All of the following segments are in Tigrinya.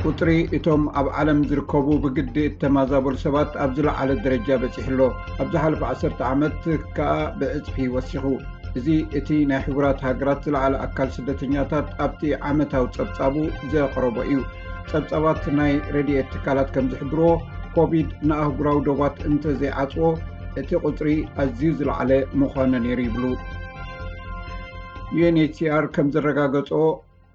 ቁፅሪ እቶም ኣብ ዓለም ዝርከቡ ብግዲ እተማዛበሉ ሰባት ኣብ ዝለዓለ ደረጃ በፂሑ ኣሎ። ኣብ ዝሓለፈ ዓሰርተ ዓመት ከኣ ብዕፅፊ ወሲኹ። እዚ እቲ ናይ ሕቡራት ሃገራት ዝለዓለ ኣካል ስደተኛታት ኣብቲ ዓመታዊ ጸብጻቡ ዘቕረቦ እዩ። ጸብጻባት ናይ ረድኤት ትካላት ከም ዝሕብርዎ፣ ኮቪድ ንኣህጉራዊ ዶባት እንተዘይዓጽዎ፣ እቲ ቁጽሪ ኣዝዩ ዝለዓለ ምዃነ ነይሩ ይብሉ። ዩ ኤን ኤች ሲ ኣር ከም ዘረጋገጾ፣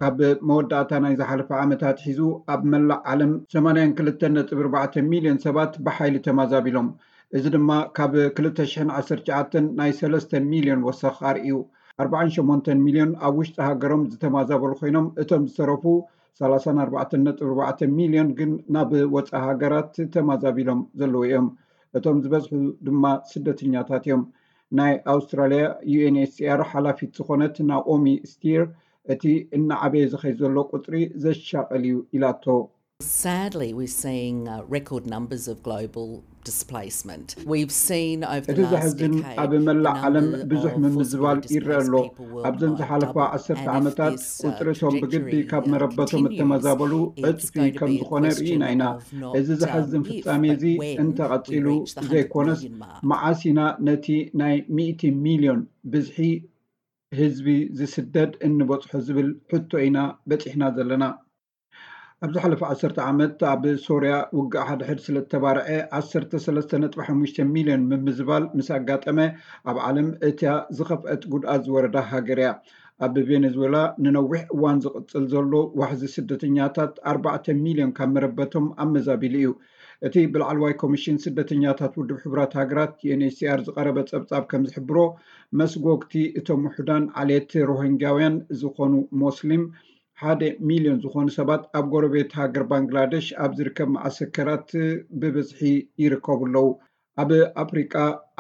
ካብ መወዳእታ ናይ ዝሓለፈ ዓመት ኣትሒዙ ኣብ መላእ ዓለም ሰማንያን ክልተን ነጥቢ ኣርባዕተ ሚልዮን ሰባት ብሓይሊ ተማዛቢሎም። እዚ ድማ ካብ ክልተ ሽሕን ዓሰርተ ትሽዓተን ናይ ሰለስተ ሚልዮን ወሰኽ ኣርእዩ። ኣርባዓን ሸሞንተን ሚልዮን ኣብ ውሽጢ ሃገሮም ዝተማዛበሉ ኮይኖም፣ እቶም ዝተረፉ ሰላሳን ኣርባዕተን ነጥቢ ኣርባዕተ ሚልዮን ግን ናብ ወጻኢ ሃገራት ተማዛቢሎም ዘለዉ እዮም። እቶም ዝበዝሑ ድማ ስደተኛታት እዮም። ናይ ኣውስትራልያ ዩ ኤን ኤች ሲ ኣር ሓላፊት ዝኾነት ናኦሚ ስቲር፣ እቲ እናዓበየ ዝኸይድ ዘሎ ቁጽሪ ዘሻቕል እዩ ኢላቶ። Sadly, we're seeing uh, record numbers of global displacement. We've seen over እቲ the last ዘሕዝን decade ኣብ the መላእ ዓለም number ብዙሕ of forcibly ምምዝባል ይረአ displaced ኣሎ። People ኣብዘን worldwide ዝሓለፋ double, ዓሰርተ and if ዓመታት this uh, ቁጽሪ እቶም ብግዲ trajectory ካብ uh, መረበቶም continues, እተመዛበሉ it's ዕጽፊ going to ከም be a ዝኾነ question ርኢና ኢና። of not እዚ um, ዘሕዝን if, ፍጻሜ but እዚ when we እንተቐጺሉ reach the ዘይኮነስ hundred million mark. መዓስ ኢና ነቲ ናይ ሚእቲ ሚልዮን ብዝሒ ህዝቢ ዝስደድ እንበጽሖ ዝብል ሕቶ ኢና በጺሕና ዘለና። ኣብ ዝሓለፈ ዓሰርተ ዓመት ኣብ ሶርያ ውግእ ሓድሕድ ስለ እተባርዐ ዓሰርተ ሰለስተ ነጥቢ ሓሙሽተ ሚልዮን ምምዝባል ምስ ኣጋጠመ፣ ኣብ ዓለም እታ ዝኸፍአት ጉድኣት ዝወረዳ ሃገር እያ። ኣብ ቬኔዙዌላ ንነዊሕ እዋን ዝቕጽል ዘሎ ዋሕዚ ስደተኛታት ኣርባዕተ ሚልዮን ካብ መረበቶም ኣመዛቢሉ እዩ። እቲ ብላዕለዋይ ኮሚሽን ስደተኛታት ውድብ ሕቡራት ሃገራት ዩ ኤን ኤች ሲ ኣር ዝቐረበ ጸብጻብ ከም ዝሕብሮ፣ መስጎግቲ እቶም ውሑዳን ዓሌት ሮሂንጋውያን ዝኾኑ ሞስሊም ሓደ ሚልዮን ዝኾኑ ሰባት ኣብ ጎረቤት ሃገር ባንግላደሽ ኣብ ዝርከብ መዓሰከራት ብብዝሒ ይርከቡ ኣለዉ። ኣብ ኣፍሪቃ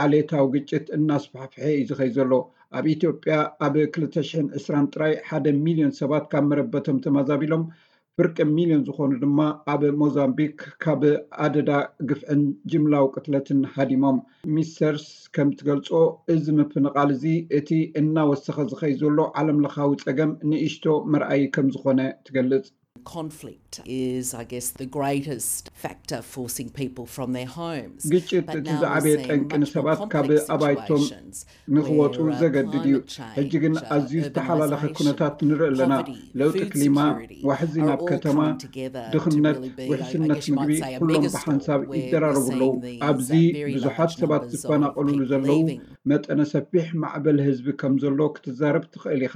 ዓሌታዊ ግጭት እናስፋሕፍሐ እዩ ዝኸይድ ዘሎ። ኣብ ኢትዮጵያ ኣብ ክልተ ሽሕን ዕስራን ጥራይ ሓደ ሚልዮን ሰባት ካብ መረበቶም ተማዛቢሎም፣ ፍርቂ ሚልዮን ዝኾኑ ድማ ኣብ ሞዛምቢክ ካብ ኣደዳ ግፍዕን ጅምላዊ ቅትለትን ሃዲሞም። ሚስተርስ ከም ትገልጾ፣ እዚ ምፍንቓል እዚ እቲ እናወሰኸ ዝኸይድ ዘሎ ዓለምለኻዊ ጸገም ንእሽቶ መርኣዪ ከም ዝኾነ ትገልጽ። Conflict is, I guess, the greatest factor forcing people from their homes. ግጭት But እቲ now we're ዝዓበየ seeing ጠንቂ much more ንሰባት ካብ complex ኣባይቶም situations ንኽወፁ where uh, ዘገድድ እዩ። climate change, ሕጂ ግን uh, ኣዝዩ ዝተሓላለኸ urbanisation, ኩነታት ንርኢ ኣለና። poverty, ለውጢ food ክሊማ፣ security ዋሕዚ are ናብ all coming together to ድኽነት፣ really be, I, I ውሕስነት guess you might ምግቢ say, a ኩሎም megastorm ብሓንሳብ where we're ይደራረቡ ኣለዉ። seeing these ኣብዚ uh, very ብዙሓት large ሰባት numbers of ዝፈናቐሉሉ people ዘለዉ leaving. መጠነ ሰፊሕ ማዕበል ህዝቢ ከም ዘሎ ክትዛረብ ትኽእል ኢኻ።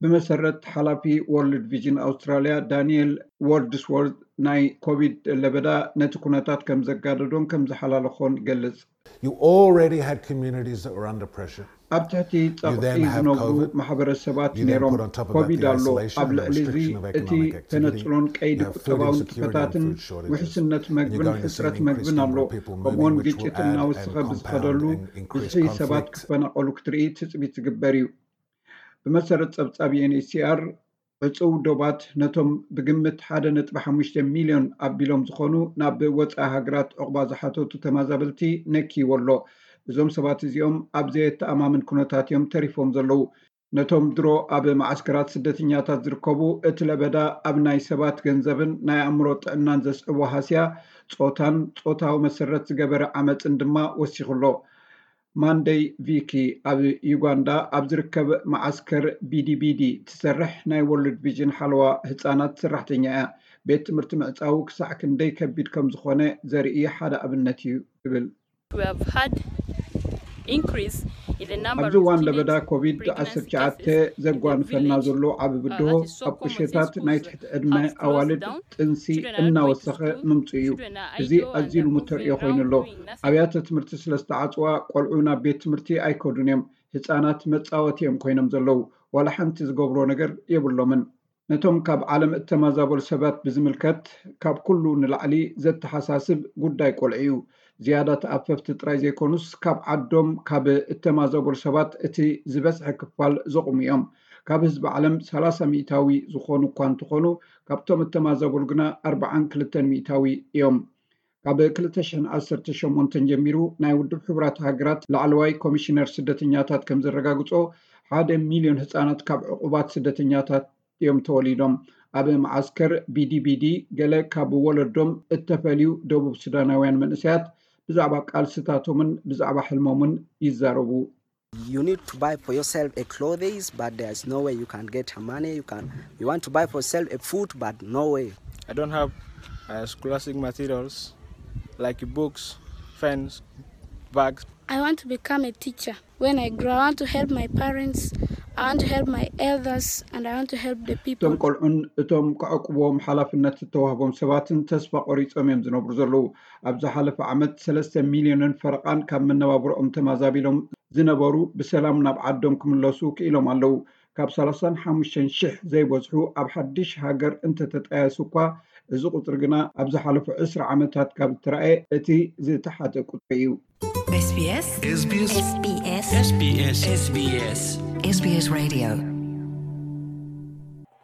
ብመሰረት ሓላፊ ወርልድ ቪዥን ኣውስትራልያ ዳንኤል ወርድስወርት፣ ናይ ኮቪድ ለበዳ ነቲ ኩነታት ከም ዘጋደዶን ከም ዝሓላለኾን ይገልጽ። You already had communities that were under pressure. ኣብ ትሕቲ You ጸቕጢ then have ዝነብሩ COVID. ማሕበረሰባት You then ነይሮም። put on top of that ኮቪድ the ኣሎ። isolation ኣብ and the ልዕሊ እዚ restriction of እቲ economic activity. ተነጽሎን ቀይዲ You have food ቁጠባዊ insecurity and ንጥፈታትን food shortages. ውሕስነት And you're መግብን going to see an ሕጽረት increased መግብን ኣሎ። number of people ከምኡውን moving, which will ግጭት add እናወሰኸ and ብዝኸደሉ compound and increase ብዝሒ ሰባት conflict. ክፈናቐሉ ክትርኢ ትጽቢት ዝግበር እዩ። ብመሰረት ጸብጻብ ዩ ኤን ኤች ሲ ኣር፣ ዕጹው ዶባት ነቶም ብግምት ሓደ ነጥቢ ሓሙሽተ ሚልዮን ኣቢሎም ዝኾኑ ናብ ወጻኢ ሃገራት ዑቕባ ዝሓተቱ ተመዛበልቲ ነክይዎ ኣሎ። እዞም ሰባት እዚኦም ኣብ ዘየተኣማምን ኩነታት እዮም ተሪፎም ዘለዉ። ነቶም ድሮ ኣብ መዓስከራት ስደተኛታት ዝርከቡ፣ እቲ ለበዳ ኣብ ናይ ሰባት ገንዘብን ናይ ኣእምሮ ጥዕናን ዘስዕቦ ሃስያ፣ ጾታን ጾታዊ መሰረት ዝገበረ ዓመጽን ድማ ወሲኹ ኣሎ። ማንደይ ቪኪ ኣብ ዩጋንዳ ኣብ ዝርከብ መዓስከር ቢዲቢዲ ትሰርሕ ናይ ወርልድ ቪዥን ሓለዋ ህጻናት ሰራሕተኛ እያ። ቤት ትምህርቲ ምዕጻዉ ክሳዕ ክንደይ ከቢድ ከም ዝኾነ ዘርኢ ሓደ ኣብነት እዩ ትብል። We have had increase in the number ኣብዚ of እዋን teenage ለበዳ ኮቪድ pregnancy ዓሰርተ ትሽዓተ cases in the ዘጓንፈና village. ዘሎ ዓቢ ብድሆ Uh, that is so ኣብ common since ቁሸታት ናይ schools ትሕቲ ዕድመ have closed ኣዋልድ down. ጥንሲ Children are not going to እናወሰኸ school. ምምጽኡ እዩ። Children are እዚ idle and ኣዝዩ they're ልሙድ ተርእዮ moving ኮይኑ around ኣሎ። doing nothing. ኣብያተ ትምህርቲ ስለ ዝተዓጽዋ፣ ቆልዑ ናብ ቤት ትምህርቲ ኣይከዱን እዮም። ህጻናት መጻወቲ እዮም ኮይኖም ዘለዉ። ዋላ ሓንቲ ዝገብርዎ ነገር የብሎምን። ነቶም ካብ ዓለም እተመዛበሉ ሰባት ብዝምልከት፣ ካብ ኩሉ ንላዕሊ ዘተሓሳስብ ጉዳይ ቆልዑ እዩ። ዝያዳ ተኣፈፍቲ ጥራይ ዘይኮኑስ፣ ካብ ዓዶም ካብ እተመዛበሉ ሰባት እቲ ዝበዝሐ ክፋል ዘቑሙ እዮም። ካብ ህዝቢ ዓለም ሰላሳ ሚእታዊ ዝኾኑ እኳ እንተኾኑ፣ ካብቶም እተመዛበሉ ግና ኣርብዓን ክልተን ሚእታዊ እዮም። ካብ ክልተ ሽሕን ዓሰርተ ሸሞንተን ጀሚሩ፣ ናይ ውድብ ሕቡራት ሃገራት ላዕለዋይ ኮሚሽነር ስደተኛታት ከም ዘረጋግጾ፣ ሓደ ሚልዮን ህጻናት ካብ ዕቑባት ስደተኛታት እዮም ተወሊዶም። ኣብ መዓስከር ቢዲቢዲ ገለ ካብ ወለዶም እተፈልዩ ደቡብ ሱዳናውያን መንእሰያት ብዛዕባ ቃልስታቶምን ብዛዕባ ሕልሞምን ይዛረቡ። You need to buy for yourself a clothes, but there's no way you can get a money. You can, you want to buy for yourself a food, but no way. I don't have uh, scholastic materials like books, pens, bags. I want to become a teacher. When I grow, I want to help my parents. I want to help my elders, and I want to help the people. እቶም ቆልዑን እቶም ክዕቅብዎም ሓላፍነት ዝተዋህቦም ሰባትን ተስፋ ቆሪጾም እዮም ዝነብሩ ዘለዉ። ኣብ ዝሓለፈ ዓመት ሰለስተ ሚልዮንን ፈረቓን ካብ መነባብሮኦም ተማዛቢሎም ዝነበሩ ብሰላም ናብ ዓዶም ክምለሱ ክኢሎም ኣለዉ። ካብ ሰላሳን ሓሙሽተን ሽሕ ዘይበዝሑ ኣብ ሓድሽ ሃገር እንተተጣየሱ እኳ፣ እዚ ቁጽሪ ግና ኣብ ዝሓለፉ ዕስራ ዓመታት ካብ እተራእየ እቲ ዝተሓተ ቁጽሪ እዩ። SBS SBS SBS SBS SBS SBS Radio